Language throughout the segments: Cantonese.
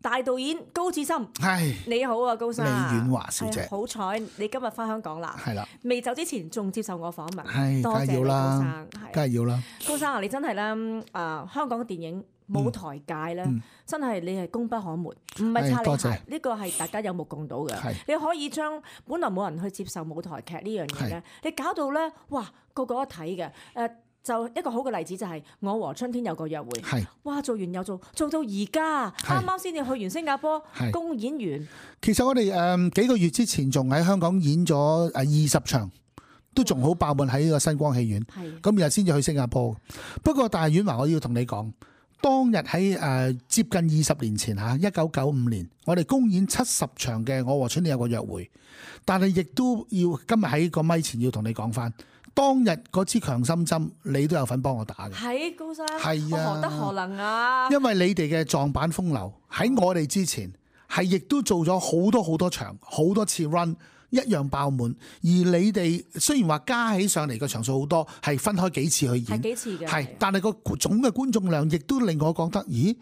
大導演高志森，係你好啊，高生。李婉華小姐，好彩你今日翻香港啦。係啦，未走之前仲接受我訪問，係多謝你高梗係要啦生。梗係要啦。高生啊，你真係咧香港嘅電影舞台界咧，真係你係功不可沒，唔係擦你鞋，呢個係大家有目共睹嘅。你可以將本來冇人去接受舞台劇呢樣嘢咧，你搞到咧，哇個個都睇嘅。就一個好嘅例子就係我和春天有個約會，哇做完又做到而家，啱啱先至去完新加坡公演完。其實我哋幾個月之前仲喺香港演咗20場，都仲好爆滿喺呢個新光戲院。咁日先至去新加坡。不過大婉華，我要同你講，當日喺接近20年前嚇，1995年，我哋公演70場嘅《我和春天有個約會》，但係亦都要今日喺個咪前要同你講翻。當日嗰支強心針，你都有份幫我打嘅。係高生，係啊，何德何能啊？因為你哋嘅撞板風流喺我哋之前，係亦都做咗好多場，好多次 run， 一樣爆滿。而你哋雖然話加起上嚟個場數好多，係分開幾次去演，係幾次嘅，係，但係個總嘅觀眾量亦都令我覺得，咦，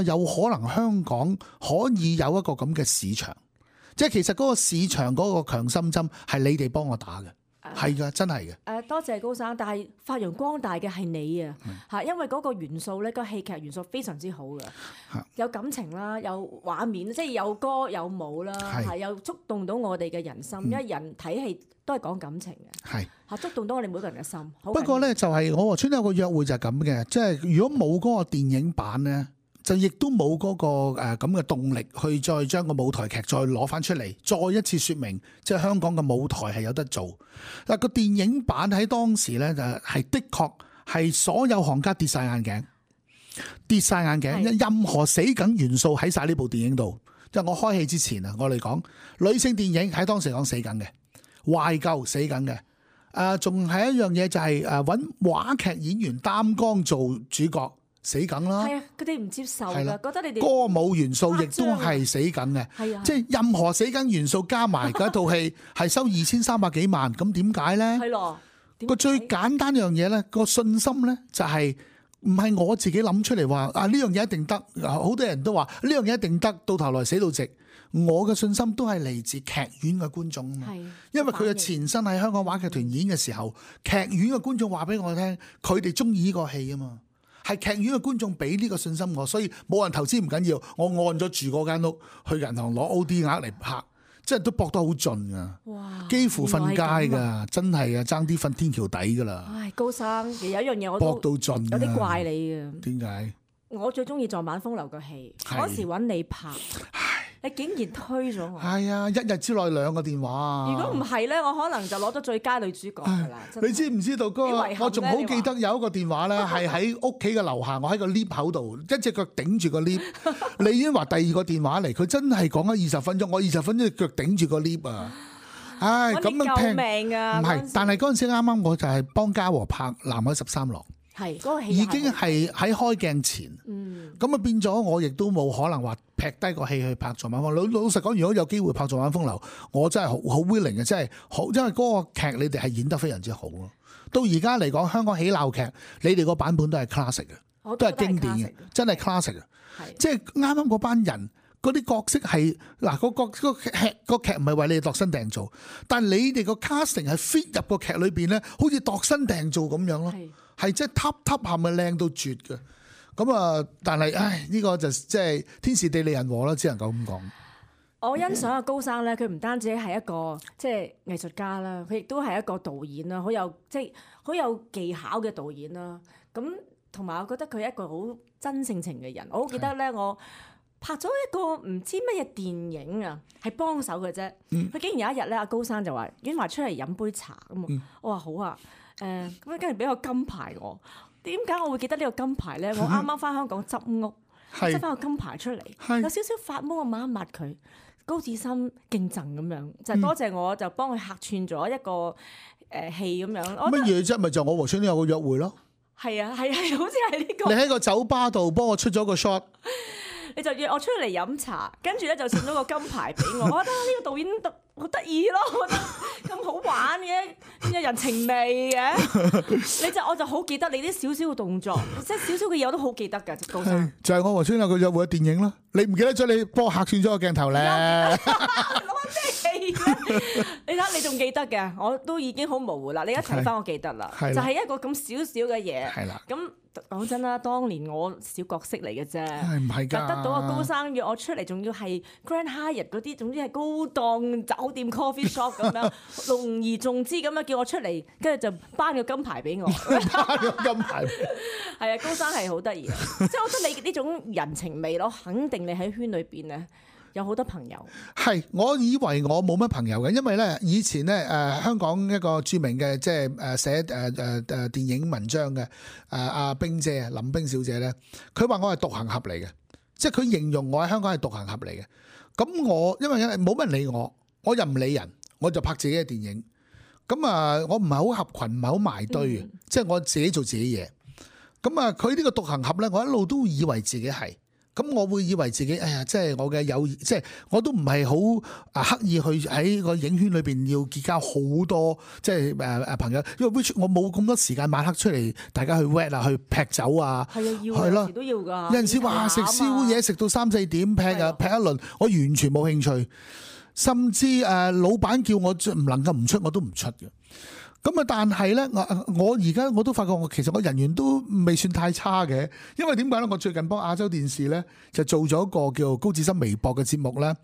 有可能香港可以有一個咁嘅市場，即係其實嗰個市場嗰個強心針係你哋幫我打嘅。係噶，真係嘅。多謝高生，但係發揚光大嘅係你啊，因為嗰個元素咧，個戲劇元素非常之好嘅，有感情啦，有畫面，即係有歌有舞啦，又觸動到我哋嘅人心，因為人睇戲都係講感情嘅，觸動到我哋每個人嘅心。不過咧，就係我和春天有個約會就係咁嘅，即係如果冇嗰個電影版咧，就亦都冇嗰個咁嘅動力去再將個舞台劇再攞翻出嚟，再一次説明即係香港嘅舞台係有得做。嗱，個電影版喺當時咧就係的確係所有行家跌晒眼鏡，任何死梗元素喺晒呢部電影度。即係我開戲之前啊，我哋講女性電影喺當時講死梗嘅，懷舊死梗嘅。仲係一樣嘢就係揾話劇演員擔綱做主角。死梗啦，係啊，佢哋唔接受㗎，覺得你哋歌舞元素亦都係死梗嘅，即係任何死梗元素加埋嗰套戲係收2300幾萬，咁點解咧？係咯，個最簡單一樣嘢咧，個信心咧就係唔係我自己諗出嚟話呢樣嘢一定得，好多人都話呢樣嘢一定得，到頭來死到直。我嘅信心都係嚟自劇院嘅觀眾啊嘛，因為佢嘅前身喺香港話劇團演嘅時候，劇院嘅觀眾話俾我聽，佢哋中意呢個戲啊嘛。係劇院嘅觀眾俾呢個信心我，所以冇人投資唔緊要，我按咗住嗰間屋去銀行攞 OD 額嚟拍，即係都搏得好盡噶，幾乎瞓街噶，真係啊，爭啲瞓天橋底噶啦。唉，高生，有一樣嘢我搏到盡，有啲怪你嘅。點解？我最中意撞板風流嘅戲，嗰時揾你拍。你竟然推咗我！係啊，一日之內2個電話。如果唔係咧，我可能就攞咗最佳女主角㗎啦。你知唔知道嗰個？我仲好記得有一個電話咧，係喺屋企嘅樓下，我喺個 lift 口度，一隻腳頂住個 lift。李婉華第2個電話嚟，佢真係講咗20分鐘，我20分鐘腳頂住個 lift 啊！唉，咁樣聽。救命啊！唔係，但係嗰陣時啱啱我就係幫嘉禾拍《南海13郎》。係嗰個戲已經係喺開鏡前，咁啊變咗我亦都冇可能話劈低個戲去拍《撞板風流》。老實講，如果有機會拍《撞板風流》，我真係好 willing 嘅，真係好，因為嗰個劇你哋係演得非常之好咯。到而家嚟講，香港喜鬧劇，你哋個版本都係 classic 嘅，都係經典嘅，真係 classic 嘅。即係啱啱嗰班人嗰啲角色係嗱，個劇唔係為你哋度身訂造，但係你哋個 casting 係 fit 入個劇裏邊咧，好似度身訂造咁樣咯。係即係top 係咪靚到絕嘅？咁啊，但係呢個就即係天時地利人和啦，只能夠咁講。我欣賞阿高生咧，佢唔單止係一個即係藝術家啦，佢亦都係一個導演啦，好有技巧嘅導演啦。咁同埋我覺得佢係一個好真性情嘅人。我好記得咧，我拍咗一個唔知乜嘢電影啊，係幫手嘅啫。佢竟然有一日咧，阿高生就話婉華出嚟飲杯茶咁。我話好啊。咁跟住俾個金牌我，點解我會記得呢個金牌咧？我啱啱翻香港執屋，執翻個金牌出嚟，有少少發毛，我抹一抹佢。高志森敬贈咁樣，就多謝我就幫佢客串咗一個戲咁樣。乜嘢啫？咪就我和春天有個約會咯。係啊，好似係呢個。你喺個酒吧度幫我出咗個 shot。你就約我出嚟飲茶，跟住咧就送咗個金牌俾我。我覺得呢個導演好得意咯，我覺得咁好玩嘅，有人情味嘅。我就好記得你啲少少嘅動作，即係少少嘅嘢我都好記得㗎。高生就係我和村友佢約會嘅電影咯。你唔記得咗你幫我客串咗個鏡頭咧？攞咩戲咧？你睇你仲記得嘅，我都已經好模糊啦。你一睇翻我記得啦，就係一個咁少少嘅嘢。係啦，咁。講真啦，當年我小角色嚟嘅啫，唔係㗎，得到個高生約我出嚟，仲要係 Grand Hyatt 嗰啲，總之係高檔酒店 coffee shop 咁樣，隆而重之咁樣叫我出嚟，跟住就頒個金牌俾我。頒個金牌，係啊，高生係好得意，即係我覺得你呢種人情味咯，肯定你喺圈裏邊咧。有好多朋友，係我以為我冇乜朋友嘅，因為咧以前咧香港一個著名嘅即係寫電影文章嘅阿冰姐林冰小姐咧，佢話我係獨行俠嚟嘅，即係佢形容我喺香港係獨行俠嚟嘅。咁我因為冇乜人理我，我又唔理人，我就拍自己嘅電影。咁我唔係好合群，唔係好埋堆嘅，即係我自己做自己嘢。咁佢呢個獨行俠咧，我一路都以為自己係。咁我會以為自己，哎呀，即係我嘅友誼，即係我都唔係好刻意去喺個影圈裏邊要結交好多即係朋友，因為 which 我冇咁多時間晚黑出嚟，大家去 wet 啊，去劈酒啊，係啊，要有時都要㗎。有陣時話食宵夜食到3、4點劈一輪，我完全冇興趣，甚至老闆叫我唔能夠唔出，我都唔出嘅。咁但係咧，我而家我都發覺其實我人緣都未算太差嘅，因為點解咧？我最近幫亞洲電視咧就做咗一個叫高志森微博嘅節目咧，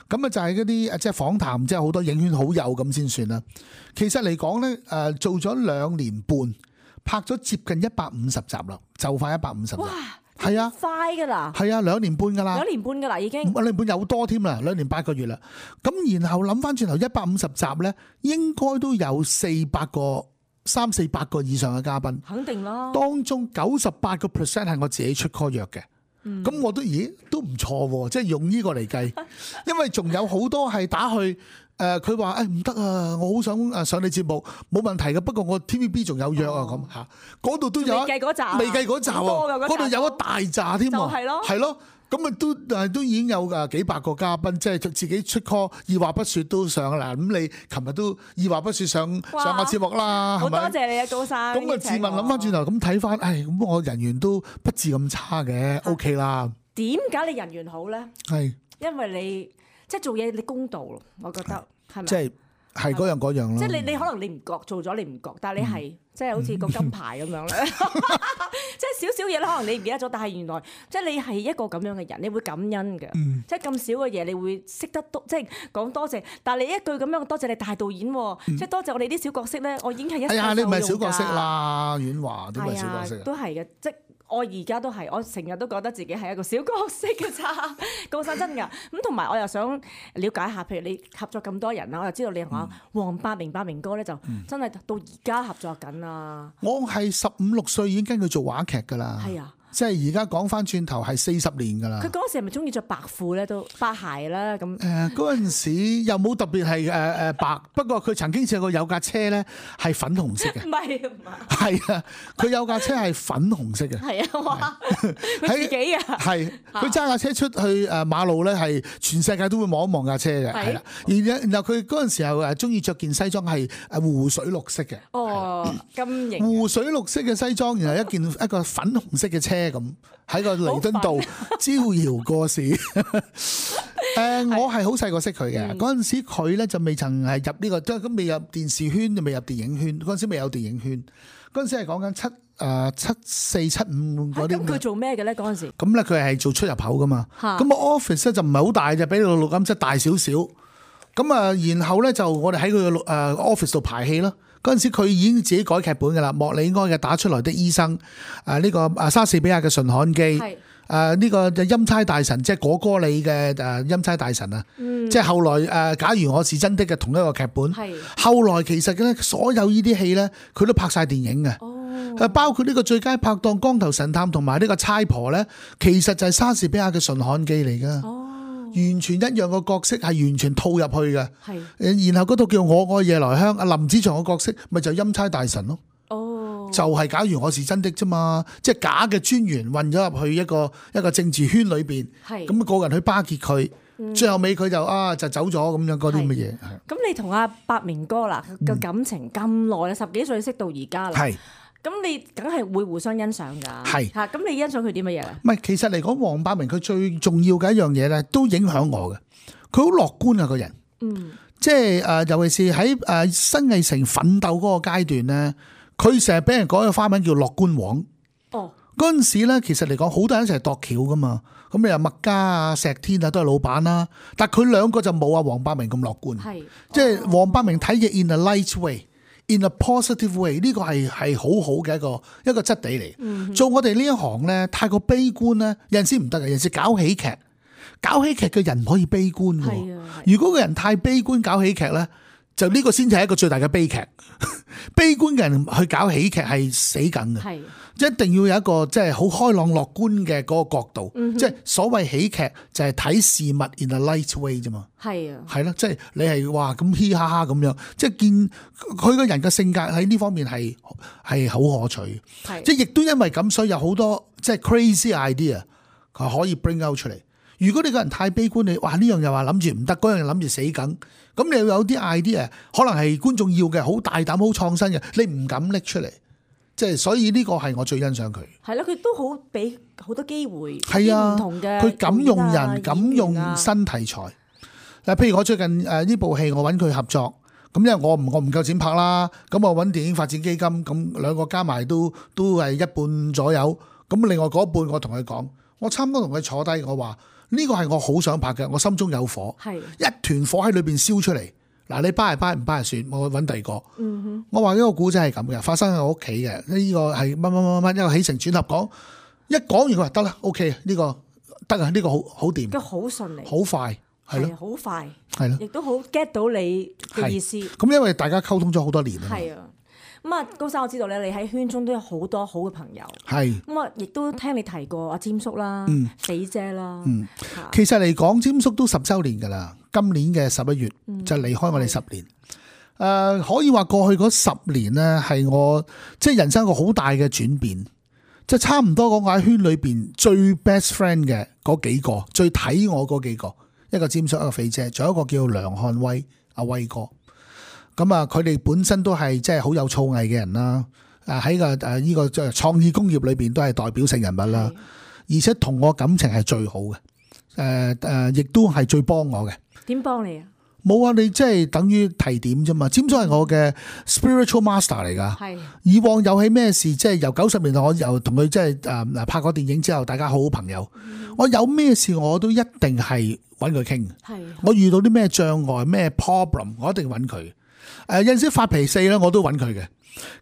咁就係嗰啲即係訪談，即係好多影圈好友咁先算啦。其實嚟講咧，做咗2年半，拍咗接近150集啦，就快150集。係啊，快噶啦，係啊2年半噶啦， 2年半噶啦已經，2年半有多添啦，2年8個月啦。咁然後諗翻轉頭150集咧，應該都有300個以上嘅嘉賓，肯定啦。當中98% 係我自己出 call 約嘅，咁我都都唔錯喎，即係用呢個嚟計，因為仲有好多係打去。佢話唔得啊，我好想上你節目，冇問題嘅。不過我 TVB 仲有約啊，咁嚇，嗰度都有未計嗰集啊，嗰度有一大紮添喎，係咯，咁都已經有幾百個嘉賓，即係自己出 call，二話不説都上啦。咁你琴日都二話不説上個節目啦，係咪？好多謝你啊，高生。咁自問諗翻轉頭，咁睇翻，咁我人緣都不至咁差嘅，OK 啦。點解你人緣好咧？係因為你。即係做嘢你公道咯，我覺得係咪？即係嗰樣咯。即係你可能你唔覺做咗你唔覺，但係你係即係好似個金牌咁樣咧。即係少少嘢咧，可能你唔記得咗，但係原來即係你係一個咁樣嘅人，你會感恩嘅。即係咁少嘅嘢，你會識得多，即係講多謝。但係你一句咁樣多謝你大導演，即係多謝我哋啲小角色咧，我已經係一生受用㗎。哎呀，你唔係小角色啦，婉華都唔係小角色。都係嘅，即我而家都係，我成日都覺得自己係一個小角色嘅咋，高生真㗎。咁同埋我又想了解下，譬如你合作咁多人啦，我又知道你話黃百鳴哥咧就真係到而家合作緊啊。我係15、16歲已經跟佢做話劇㗎啦。係啊。即係而家講翻轉頭係40年㗎啦。佢嗰陣時係咪中意着白褲咧？都白鞋啦咁。嗰陣時又冇特別係白，不過佢曾經試過有架車咧係粉紅色嘅。唔係。係啊，佢有架車係粉紅色嘅。係啊，哇！佢自己啊。係，佢揸架車出去馬路咧，係全世界都會望一望架車嘅。係啦。然後佢嗰陣時候中意着件西裝係湖水綠色嘅。哦，咁型。湖水綠色嘅西裝，然後一個粉紅色嘅車。咁喺個彌敦道招搖過市。我係好細個識佢嘅，嗰陣時佢咧就未曾係入呢個，即係咁未入電視圈，就未入電影圈。嗰陣時未有電影圈，嗰陣時係講緊74、75嗰啲。咁佢做咩嘅咧？嗰陣時咁咧，佢係做出入口噶嘛。咁我 office 咧就唔係好大，就比個錄音室大少少。咁然後咧就我哋喺佢嘅office 度排戲咯。嗰陣時佢已經自己改劇本㗎啦，莫里哀嘅《打出來的醫生》，呢個莎士比亞嘅《馴悍記》，呢個欽差大臣，即係果戈里嘅欽差大臣啊，即係後來假如我是真的嘅同一個劇本。後來其實咧所有呢啲戲咧，佢都拍晒電影嘅，包括呢個最佳拍檔《光頭神探》同埋呢個差婆咧，其實就係莎士比亞嘅《馴悍記》嚟㗎。完全一樣個角色係完全套入去嘅，然後嗰套叫《我愛夜來香》，阿林子祥個角色咪就欽差大臣咯。就係假如我是真的啫嘛，即係假嘅專員混咗入去一個政治圈裏邊，咁個人去巴結佢，最後尾佢就走咗咁樣嗰啲乜嘢。咁你同阿百鳴哥啦嘅感情咁耐啦，10幾歲識到而家啦，咁你梗係會互相欣賞㗎。嚇，咁你欣賞佢啲乜嘢咧？唔係，其實嚟講，黃百鳴佢最重要嘅一樣嘢咧，都影響我嘅。佢好樂觀啊個人，即係尤其是喺新藝城奮鬥嗰個階段咧，佢成日俾人講個花名叫樂觀王。嗰陣時咧，其實嚟講，好多人一齊度橋噶嘛。咁你話麥嘉啊、石天啊都係老闆啦，但係佢兩個就冇阿黃百鳴咁樂觀。即係黃百鳴睇嘢 in a light way，in a positive way， 呢個係好好嘅一個質地嚟。做我哋呢一行咧，太過悲觀咧，有陣時唔得嘅。有陣時搞喜劇嘅人唔可以悲觀嘅。如果個人太悲觀搞喜劇咧，就呢個先至係一個最大嘅悲劇。悲觀嘅人去搞喜劇係死梗嘅。一定要有一個即係好開朗樂觀嘅嗰個角度，即係所謂喜劇就係睇事物 in a light way 啫嘛。係咯，即係你係哇咁嘻哈哈咁樣，即係見佢個人嘅性格喺呢方面係好可取。即係亦都因為咁，所以有好多即係 crazy idea 佢可以 bring out 出嚟。如果你個人太悲觀，你哇呢樣又話諗住唔得，嗰樣又諗住死梗，咁你有啲 idea 可能係觀眾要嘅，好大膽、好創新嘅，你唔敢拎出嚟。即係所以呢個係我最欣賞佢。係咯，佢都好俾好多機會。係啊，唔同嘅佢敢用人，敢用新題材。嗱，譬如我最近呢部戲，我揾佢合作，咁因為我唔夠錢拍啦，咁我揾電影發展基金，咁兩個加埋都係一半左右。咁另外嗰一半我同佢講，我差唔多同佢坐低，我話呢個係我好想拍嘅，我心中有火，一團火喺裏邊燒出嚟。嗱，你掰係掰，唔掰係算，我揾第二個。我話呢個古仔係咁嘅，發生喺我屋企嘅，呢個係乜，一個起承轉合講，一講完佢話得啦 ，OK， 呢個得啊，呢個好掂，都好順利，好快，係咯，好快，係咯，亦都好 get 到你嘅意思。咁因為大家溝通咗好多年啊。係啊。咁啊，高生，我知道咧，你喺圈中都有好多好嘅朋友。係。咁啊，亦都聽你提過阿詹叔啦、死姐啦。其實嚟講，詹叔都10週年㗎啦。今年嘅11月就離開我哋10年。可以話過去嗰10年咧，係我即係人生一個好大嘅轉變。即係差唔多講我喺圈裏邊最 best friend 嘅嗰幾個，最睇我嗰幾個，一個詹叔，一個肥姐，仲有一個叫梁漢威，阿威哥。咁啊，佢哋本身都係即係好有造詣嘅人啦。喺個呢個創意工業裏邊都係代表性人物啦。而且同我感情係最好嘅。亦都係最幫我嘅。點幫你啊？冇啊！你即係等於提點啫嘛。詹叔係我嘅 spiritual master 嚟㗎。係。以往有起咩事，即係由90年代我又同佢即係拍過電影之後，大家好好朋友。我有咩事我都一定係揾佢傾。係。我遇到啲咩障礙、咩 problem， 我一定揾佢。有陣時發脾氣咧，我都揾佢嘅。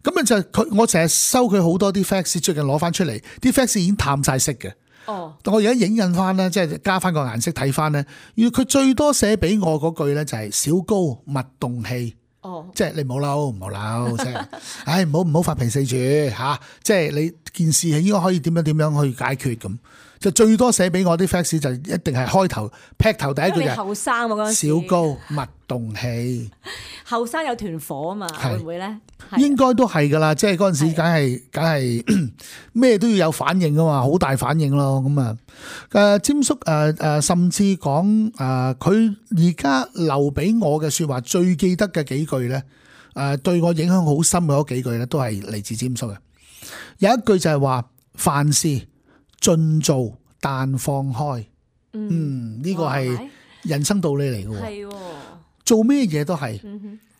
咁啊就佢，我成日收佢好多啲 fax， 最近攞翻出嚟，啲 fax 已經淡晒色嘅。哦。我而家影印翻咧，即係加翻個顏色睇翻咧。要佢最多寫俾我嗰句咧，就係小高勿動氣。哦。即係你唔好嬲，唔好嬲，即係，唉，唔好發脾氣住嚇。即係你件事係應該可以點樣去解決咁。就最多寫俾我啲 fax 就一定係開頭劈頭第一句嘅。後生喎嗰陣時。小高勿動氣。後生有團火啊嘛，會唔會咧？應該都係噶啦，即係嗰陣時梗係咩都要有反應噶嘛，好大反應咯。咁啊，詹叔甚至講佢而家留俾我嘅説話，最記得嘅幾句咧，對我影響好深嘅嗰幾句咧，都係嚟自詹叔嘅。有一句就係話：凡事盡做但放開。呢個係人生道理嚟嘅。係喎。做咩嘢都係。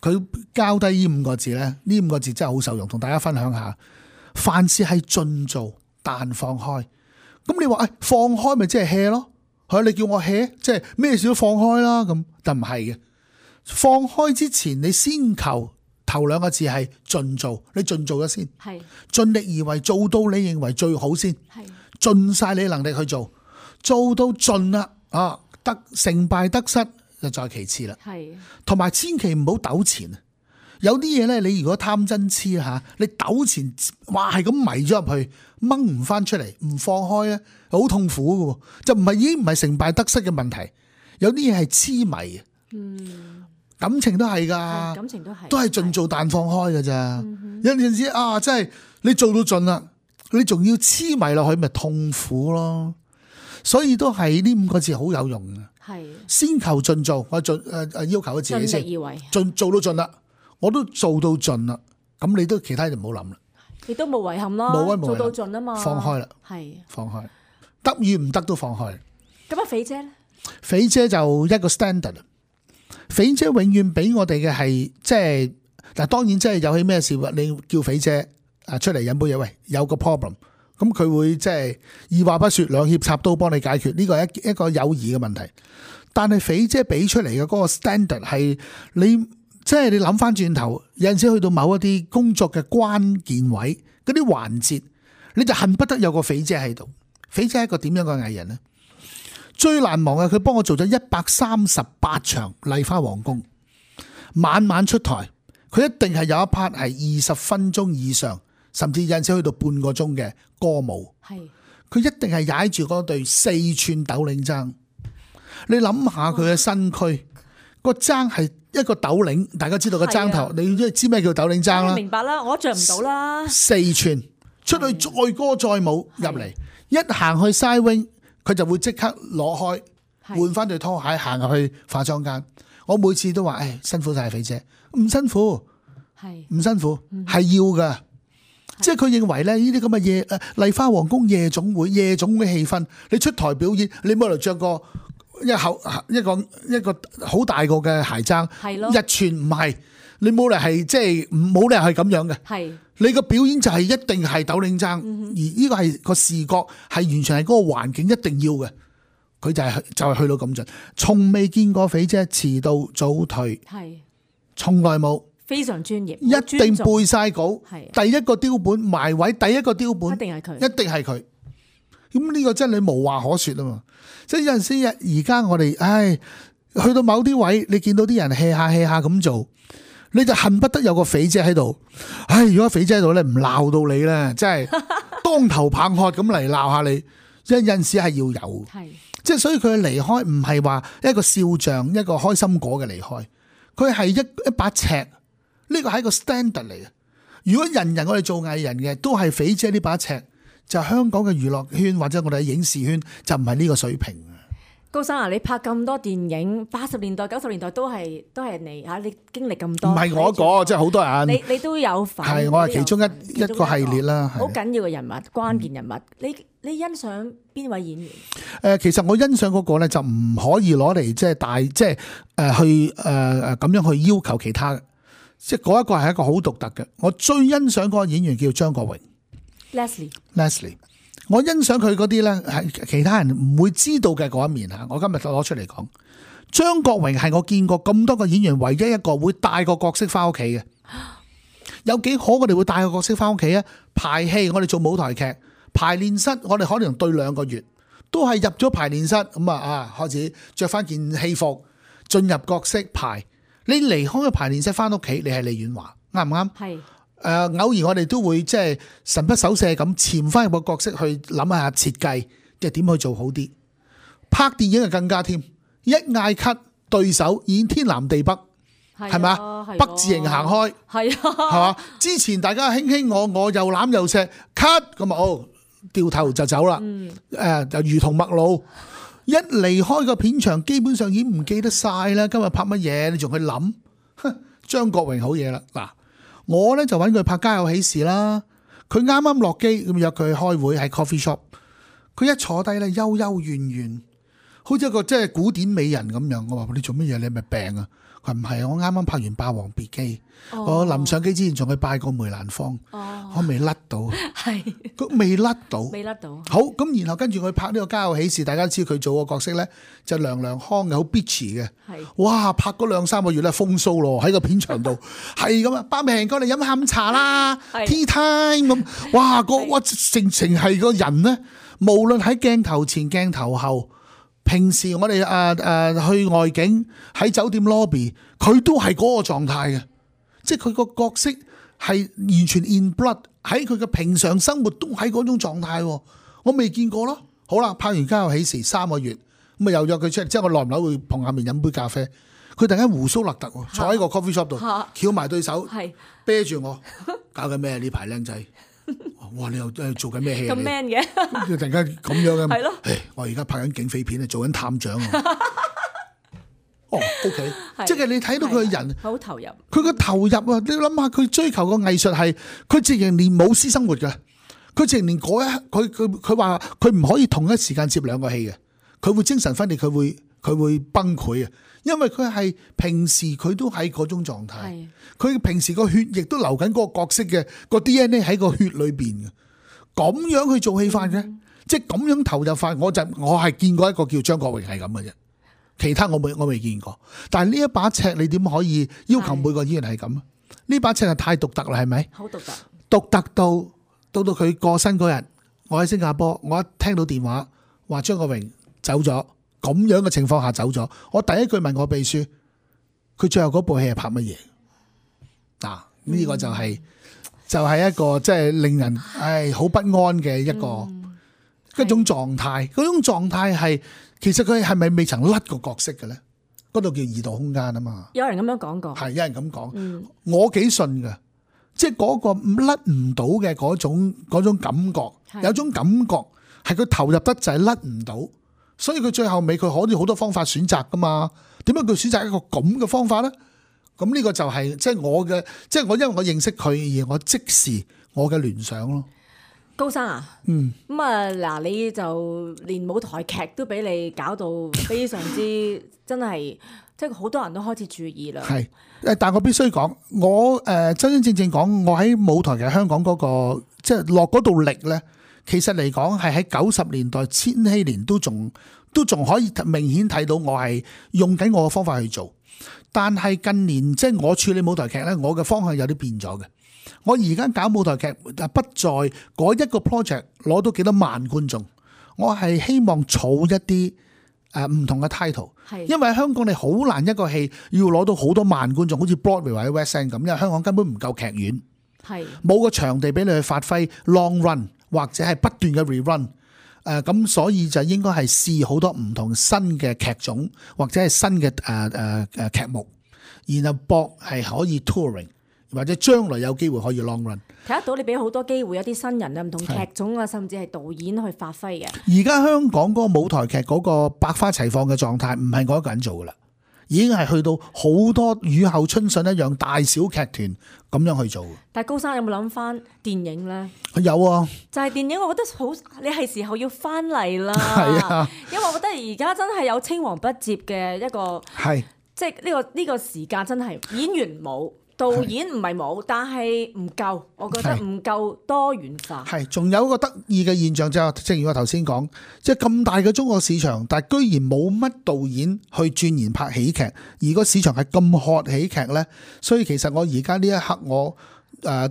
佢交低呢5個字咧，呢5個字真係好受用，同大家分享下。凡事係盡做但放開。咁你話放開咪即係 hea 咯？係你叫我 hea， 即係咩事都放開啦咁，但唔係嘅。放開之前，你先求頭2個字係盡做，你盡做咗先，係盡力而為，做到你認為最好先，係盡晒你能力去做，做到盡啦啊！得成敗得失就再其次啦，係同埋千祈唔好糾纏。有啲嘢咧，你如果貪真痴嚇，你糾纏，哇係咁迷咗入去，掹唔翻出嚟，唔放開咧，好痛苦嘅喎。就已經唔係成敗得失嘅問題，有啲嘢係痴迷。感情都係㗎，感情都係盡做但放開㗎咋。有陣時真係你做到盡啦，你仲要黐埋落去，咪痛苦咯。所以都係呢5個字好有用嘅。係先求盡做，我要求自己先，盡力而為，做到盡啦，我都做到盡啦。咁你都其他就唔好諗啦，亦都冇遺憾啦，做到盡啊嘛，放開啦，係放開，得與唔得都放開。咁肥姐咧？肥姐就一個 standard， 肥姐永遠俾我哋嘅係即係嗱，當然即係有起咩事，你叫肥姐出嚟飲杯嘢，喂，有個 problem， 咁佢會即係二話不說兩肋插刀幫你解決，呢個係一個友誼嘅問題。但係肥姐俾出嚟嘅嗰個 standard 係你即係你諗翻轉頭，有陣時去到某一啲工作嘅關鍵位嗰啲環節，你就恨不得有個肥姐喺度。肥姐係一個點樣嘅藝人呢？最難忘嘅，佢幫我做咗138場麗花皇宮，晚晚出台，佢一定係有一 part 係20分鐘以上，甚至有陣時去到半個鐘嘅歌舞。係，佢一定係踩住嗰對4寸斗領踭。你諗下佢嘅身軀，個踭係一個斗領，大家知道個踭頭，你知咩叫斗領踭啦？明白啦，我着唔到啦。4寸出去載歌載舞入嚟，一行去 side wing，佢就會即刻攞開換翻對拖鞋行入去化妝間。我每次都話：誒，辛苦晒肥姐，唔辛苦，係唔辛苦，係要噶。即係佢認為咧，呢啲咁嘅夜麗花皇宮夜總會氣氛，你出台表演，你冇嚟着個一個好大個嘅鞋踭，1寸唔係，你冇嚟係即係冇理由係咁樣嘅。係你個表演就係一定係斗領踭，而呢個係個視覺係完全係嗰個環境一定要嘅。佢就係去到咁盡，從未見過肥姐遲到早退，係從來冇。非常專業，一定背晒稿，第一個雕本埋位，第一個雕本一定係佢，一定係佢。咁呢個真係無話可說啊嘛！即係有陣時而家我哋，去到某啲位，你見到啲人 hea 下咁做，你就恨不得有個肥姐喺度。如果肥姐喺度咧，唔鬧到你咧，真係當頭棒喝咁嚟鬧下你。有陣時係要有，即係所以佢嘅離開唔係話一個笑匠，一個開心果嘅離開，佢係一把尺。呢個係一個 standard 嚟嘅。如果人人我哋做藝人嘅都係肥姐呢把尺，就香港嘅娛樂圈或者我哋嘅影視圈就唔係呢個水平。高生啊，你拍咁多電影，80年代、90年代都係你嚇，你經歷咁多。唔係我講，即係好多人。你都有份。係我係其中一個系列啦。好緊要嘅人物，關鍵人物。你欣賞邊位演員？其實我欣賞嗰個咧就唔可以攞嚟即係去咁樣去要求其他。即係嗰一個係一個好獨特嘅，我最欣賞嗰個演員叫張國榮 Leslie， 我欣賞佢嗰啲咧係其他人唔會知道嘅嗰一面吓，我今日攞出嚟講，張國榮係我見過咁多個演員唯一一個會帶個角色翻屋企嘅。有幾可我哋會帶個角色翻屋企啊？排戲我哋做舞台劇排練室，我哋可能對2個月，都係入咗排練室咁開始着翻件戲服進入角色排。你離開個排練室翻屋企，你係李婉華，啱唔啱？係。偶然我哋都會即係神不守舍咁潛翻入個角色去諗下設計，即係點去做好啲。拍電影就更加添，一嗌 cut 對手已經天南地北，係咪啊？北字形行開，係嘛？之前大家卿我又攬又錫 cut 咁掉頭就走啦。就如同陌路。一離開個片場，基本上已經唔記得晒啦。今日拍乜嘢？你仲去諗？張國榮好嘢啦！嗱，我咧就揾佢拍《家有喜事》啦。佢啱啱落機咁約佢開會喺 coffee shop。佢一坐低咧，幽幽怨怨，好似一個即係古典美人咁樣。我話你做乜嘢？你係咪病啊？佢唔係，我啱啱拍完《霸王別姬》，我臨上機之前仲去拜過梅蘭芳，我未甩到，係佢未甩到，好咁，然後跟住佢拍呢個《家有喜事》，大家知佢做個角色咧就娘娘腔嘅，好 bitchy 嘅，哇！拍嗰2-3個月咧風騷咯，喺個片場度係咁啊，百名過嚟飲下午茶啦，tea time 咁，哇！哇成係個人咧，無論喺鏡頭前、鏡頭後。平時我哋去外景喺酒店 lobby， 佢都係嗰個狀態嘅，即係佢個角色係完全 in blood， 喺佢嘅平常生活都喺嗰種狀態，我未見過咯。好啦，拍完《家有喜事》3個月，咁啊又約佢出嚟，即係我耐唔耐會碰下面飲杯咖啡，佢突然間鬍鬚立突，坐喺個 coffee shop 度，翹埋對手，啤住我，搞緊咩呢排靚仔？哇！你又做緊咩戲？咁 man 嘅，突然間咁樣嘅。係咯。我而家拍緊警匪片啊，做緊探長啊。OK， 即係你睇到佢個人好投入。佢個投入啊！你諗下，佢追求個藝術係，佢直情連冇私生活嘅，佢直情連嗰佢話佢唔可以同一時間接兩個戲嘅，佢會精神分裂，佢會崩潰啊！因為佢係平時佢都喺嗰種狀態，佢平時個血液都流緊嗰個角色嘅個 DNA 喺個血裏邊嘅，咁樣去做戲法嘅，即係咁樣投入法，我係見過一個叫張國榮係咁嘅啫。其他我未見過，但係呢一把尺你點可以要求每個演員係咁？呢把尺係太獨特啦，係咪？好獨特，獨特到佢過身嗰日，我喺新加坡，我一聽到電話話張國榮走咗，咁樣嘅情況下走咗，我第一句問我秘書，佢最後嗰部戲係拍乜嘢？嗱，呢個就係一個即係令人好不安嘅一種狀態，嗰種狀態係。其實佢係咪未曾甩個角色嘅咧？嗰度叫異度空間啊嘛。有人咁樣講過，係有人咁講。我幾信㗎，即係嗰個甩唔到嘅嗰種感覺，有種感覺係佢投入得就係甩唔到，所以佢最後尾佢可以好多方法選擇噶嘛。點解佢選擇一個咁嘅方法咧？咁呢個就係即係我嘅，即係我因為我認識佢而我即時我嘅聯想咯。高生啊，咁啊嗱，你就連舞台劇都俾你搞到非常之真係，即係好多人都開始注意啦。係，但我必須講，我真真正正講，我喺舞台劇香港嗰個即係落嗰度力咧，其實嚟講係喺90年代、千禧年都仲可以明顯睇到我係用緊我嘅方法去做，但係近年即係我處理舞台劇咧，我嘅方向有啲變咗嘅。我而家搞舞台劇不在嗰一個 project 攞到幾多萬觀眾，我係希望儲一啲唔同嘅 title， 因為香港你好難一個戲要攞到好多萬觀眾，好似 Broadway 或者 West End 咁，因為香港根本唔夠劇院，冇個場地俾你去發揮 long run 或者係不斷嘅 rerun，咁所以就應該係試好多唔同新嘅劇種或者係新嘅劇目，然後博係可以 touring。或者將來有機會可以 long run， 睇得到你俾好多機會有啲新人啊，唔同劇種啊，甚至係導演去發揮嘅。而家香港嗰個舞台劇嗰個百花齊放嘅狀態，唔係我一個人做噶啦，已經係去到好多雨後春筍一樣大小劇團咁樣去做。但係高生有冇諗翻電影咧？有啊，就係電影，我覺得好，你係時候要翻嚟啦。係啊，因為我覺得而家真係有青黃不接嘅一個，係即係呢個時間真係演員冇。導演唔係冇，但係唔夠，我覺得唔夠多元化。係，仲有一個得意嘅現象就係，正如我頭先講，即係咁大嘅中國市場，但係居然冇乜導演去鑽研拍喜劇，而個市場係咁渴喜劇呢。所以其實我而家呢一刻我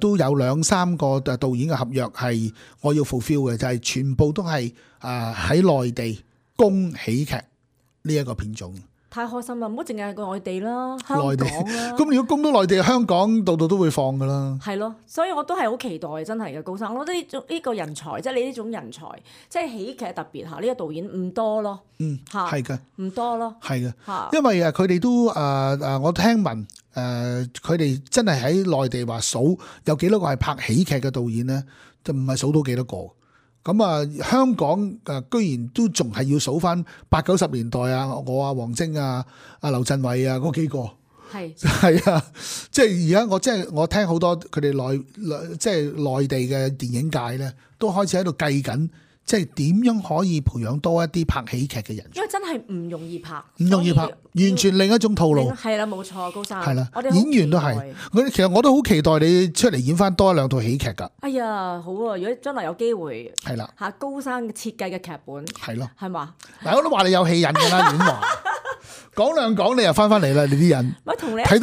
都有2-3個導演嘅合約係我要 fulfill 嘅，就係全部都係喺內地供喜劇呢一個片種。太開心啦！唔好淨係個內地啦，香港啦。咁如果攻到內地，香港度度都會放噶啦。係咯，所以我都係好期待，真係嘅高生。我覺得呢個人才，即係你呢種人才，即係喜劇特別嚇，呢個導演唔多咯。嚇係嘅，唔多咯。係嘅嚇，因為佢哋都我聽聞佢哋真係喺內地話數有幾多個係拍喜劇嘅導演咧，就唔係數到幾多個。咁香港居然都仲係要數翻80-90年代啊，我啊黃晶啊、劉鎮偉啊嗰幾個，係啊，即係而家我聽好多佢哋內地嘅電影界咧，都開始喺度計緊，即係點樣可以培養多一啲拍喜劇嘅人，因為真係唔容易拍，完全另一種套路。係啦，冇錯，高生。係啦，演員都係。其實我都好期待你出嚟演翻多1-2套喜劇㗎。哎呀，好啊！如果將來有機會，係啦嚇，高生設計嘅劇本，係咯，係嘛？嗱，我都話你有戲癮㗎啦，演話講兩講，你又翻嚟啦，你啲人。咪同你睇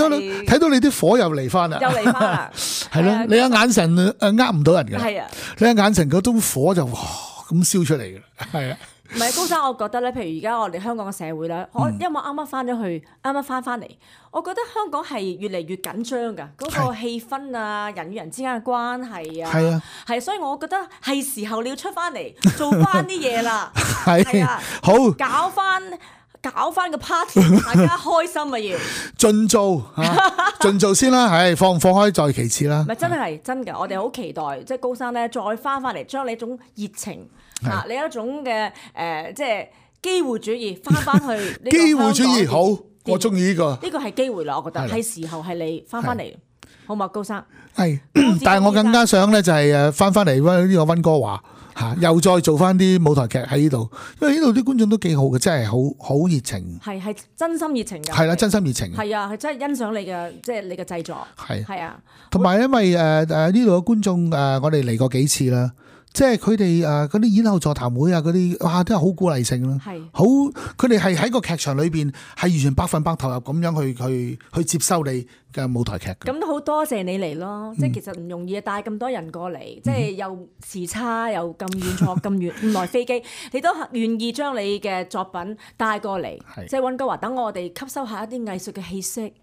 到你啲火又嚟翻啦，又嚟翻啦，係咯，你嘅眼神呃唔到人㗎。係啊，你嘅眼神嗰種火就咁燒出嚟嘅，係啊。唔係高生，我覺得咧，譬如而家我哋香港嘅社會咧，因為我啱啱翻咗去，啱啱翻嚟，我覺得香港係越嚟越緊張㗎，嗰個氣氛啊，人與人之間嘅關係啊，係啊，係，所以我覺得係時候你要出翻嚟做翻啲嘢啦，係啊，好搞翻搞翻個 party，大家開心啊要。盡做盡做先啦，係放開再其次啦。唔係真係真㗎，我哋好期待即係高生咧再翻嚟，將你一種熱情嚇，你一種嘅即係機會主義翻去呢個機會主義好，我中意呢個。呢個係機會啦，我覺得係時候係你翻嚟，好嘛，高生？係，但係我更加想咧就係翻嚟呢個溫哥華嚇，又再做翻啲舞台劇喺呢度，因為呢度啲觀眾都幾好嘅，真係好熱情。係真心熱情㗎。係啦，真心熱情。係啊，係真係欣賞你嘅即係你嘅製作。係啊，同埋因為呢度嘅觀眾我哋嚟過幾次啦。即係佢哋嗰啲演後座談會啊，嗰啲哇都係好鼓勵性咯，好佢哋係喺個劇場裏邊係完全100%投入咁樣去接收你嘅舞台劇。咁都好多謝你嚟咯，即係其實唔容易帶咁多人過嚟，即係又時差又咁遠坐咁耐飛機，你都願意將你嘅作品帶過嚟，即係溫哥華等我哋吸收下一啲藝術嘅氣息。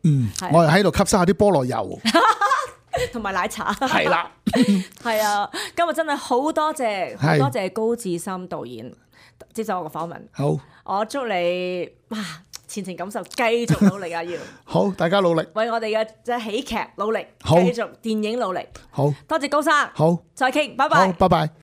我係喺度吸收下啲菠蘿油。同埋奶茶係啦，係啊！今日真係好多謝高志森導演接受我個訪問。好，我祝你前程錦繡，繼續努力啊！要好，大家努力，為我哋嘅即係喜劇努力，好，繼續電影努力。好，多謝高生，好，再傾，拜拜，好，拜拜。